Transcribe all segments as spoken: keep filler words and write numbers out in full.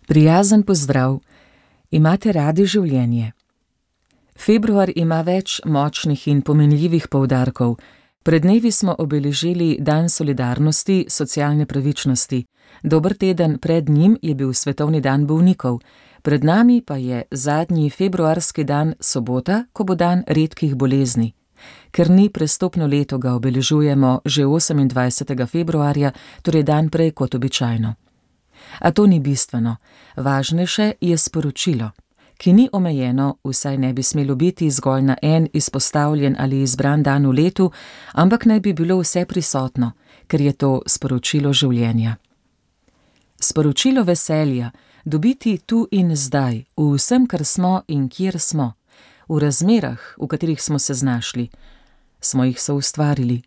Prijazen pozdrav, imate radi življenje. Februar ima več močnih in pomenljivih poudarkov. Pred dnevi smo obeležili Dan solidarnosti, socialne pravičnosti. Dober teden pred njim je bil Svetovni dan bolnikov. Pred nami pa je zadnji februarski dan sobota, ko bo dan redkih bolezni. Ker ni prestopno leto, ga obeležujemo že osemindvajsetega februarja, torej dan prej kot običajno. A to ni bistveno. Važnejše je sporočilo, ki ni omejeno, vsaj ne bi smelo biti zgolj na en izpostavljen ali izbran dan v letu, ampak naj bi bilo vse prisotno, ker je to sporočilo življenja. Sporočilo veselja, dobiti tu in zdaj, v vsem, kar smo in kjer smo, v razmerah, v katerih smo se znašli, smo jih soustvarili.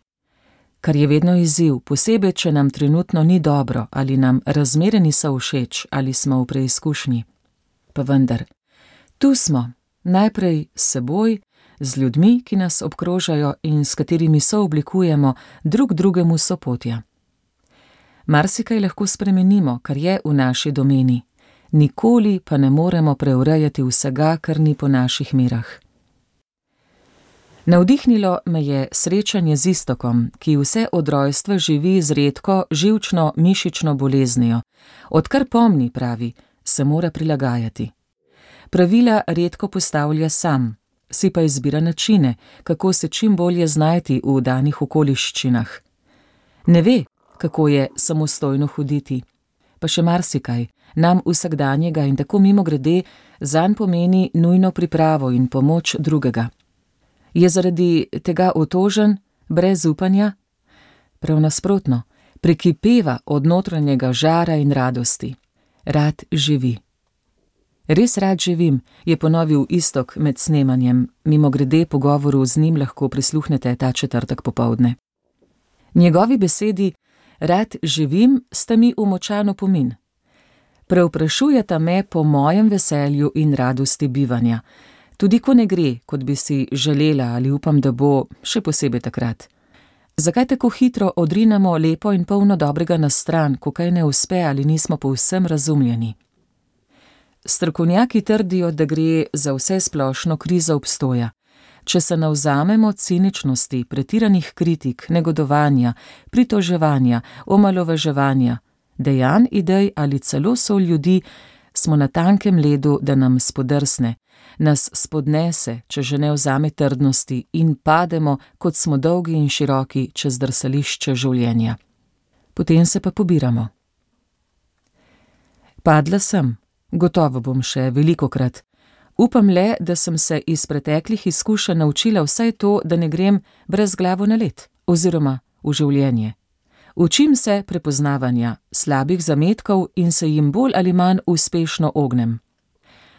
Kar je vedno izziv, posebej, če nam trenutno ni dobro ali nam razmere niso všeč ali smo v preizkušnji. Pa vendar, tu smo, najprej s seboj, z ljudmi, ki nas obkrožajo in s katerimi sooblikujemo drug drugemu sopotja. Marsikaj lahko spremenimo, kar je v naši domeni, nikoli pa ne moremo preurejati vsega, kar ni po naših merah. Navdihnilo me je srečanje z Iztokom, ki vse od rojstva živi z redko živčno mišično boleznijo. Odkar pomni, pravi, se mora prilagajati. Pravila redko postavlja sam, si pa izbira načine, kako se čim bolje znajti v danih okoliščinah. Ne ve, kako je samostojno hoditi. Pa še marsikaj, nam vsakdanjega in tako mimogrede, zanj pomeni nujno pripravo in pomoč drugega. Je zaradi tega otožen, brez upanja? Prav nasprotno, prekipeva od notranjega žara in radosti. Rad živi. Res rad živim, je ponovil Iztok med snemanjem, mimogrede pogovoru z njim lahko prisluhnete ta četrtek popoldne. Njegovi besedi rad živim sta mi v močan opomin. Prevprašujeta me po mojem veselju in radosti bivanja, tudi ko ne gre, kot bi si želela ali upam, da bo, še posebej takrat. Zakaj tako hitro odrinemo lepo in polno dobrega na stran, ko kaj ne uspe ali nismo povsem razumljeni? Strokovnjaki trdijo, da gre za vse splošno krizo obstoja. Če se navzamemo ciničnosti, pretiranih kritik, negodovanja, pritoževanja, omalovaževanja, dejanj, idej ali celo sol ljudi, smo na tankem ledu, da nam spodrsne, nas spodnese, če že ne vzame trdnosti, in pademo, kot smo dolgi in široki, čez drsališče življenja. Potem se pa pobiramo. Padla sem, gotovo bom še velikokrat. Upam le, da sem se iz preteklih izkušenj naučila vsaj to, da ne grem brez glavo na led, oziroma v življenje. Učim se prepoznavanja slabih zametkov in se jim bolj ali manj uspešno ognem.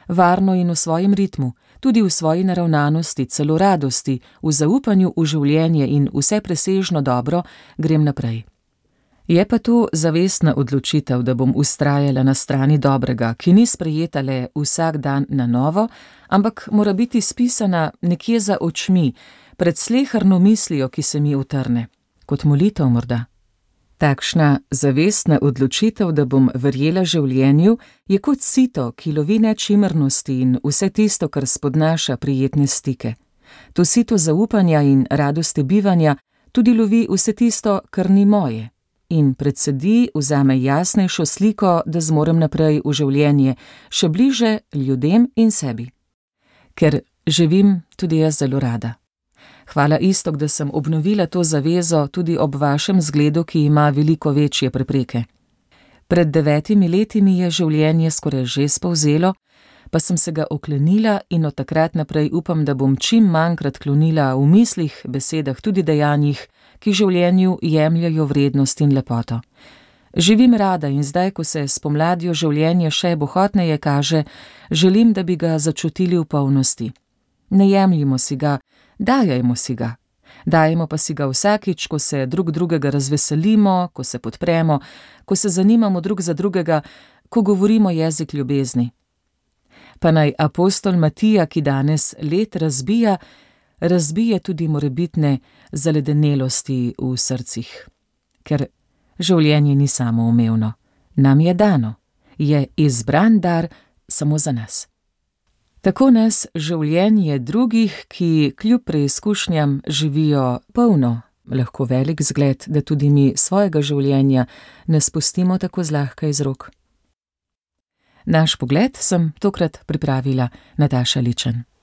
Varno in v svojem ritmu, tudi v svoji naravnanosti, celo radosti, v zaupanju v življenje in vse presežno dobro, grem naprej. Je pa to zavestna odločitev, da bom vztrajala na strani dobrega, ki ni sprejeta le vsak dan na novo, ampak mora biti spisana nekje za očmi, pred sleherno mislijo, ki se mi utrne, kot molitev morda. Takšna zavestna odločitev, da bom verjela življenju, je kot sito, ki lovi nečimrnosti in vse tisto, kar spodnaša prijetne stike. To sito zaupanja in radosti bivanja tudi lovi vse tisto, kar ni moje, in predsedi, vzame jasnejšo sliko, da zmorem naprej v življenje, še bliže ljudem in sebi. Ker živim tudi jaz zelo rada. Hvala, Iztok, da sem obnovila to zavezo tudi ob vašem zgledu, ki ima veliko večje prepreke. Pred devetimi leti mi je življenje skoraj že spolzelo, pa sem se ga oklenila in od takrat naprej upam, da bom čim manjkrat klonila v mislih, besedah, tudi dejanjih, ki življenju jemljajo vrednost in lepoto. Živim rada in zdaj, ko se s pomladjo življenje še bohotneje kaže, želim, da bi ga začutili v polnosti. Ne jemljimo si ga, dajajmo si ga. Dajemo pa si ga vsakič, ko se drug drugega razveselimo, ko se podpremo, ko se zanimamo drug za drugega, ko govorimo jezik ljubezni. Pa naj apostol Matija, ki danes led razbija, razbije tudi morebitne zaledenelosti v srcih. Ker življenje ni samoumevno, nam je dano je izbran dar samo za nas. Tako nas življenje drugih, ki kljub preizkušnjam živijo polno, lahko velik zgled, da tudi mi svojega življenja ne spustimo tako zlahka iz rok. Naš pogled sem tokrat pripravila Nataša Ličen.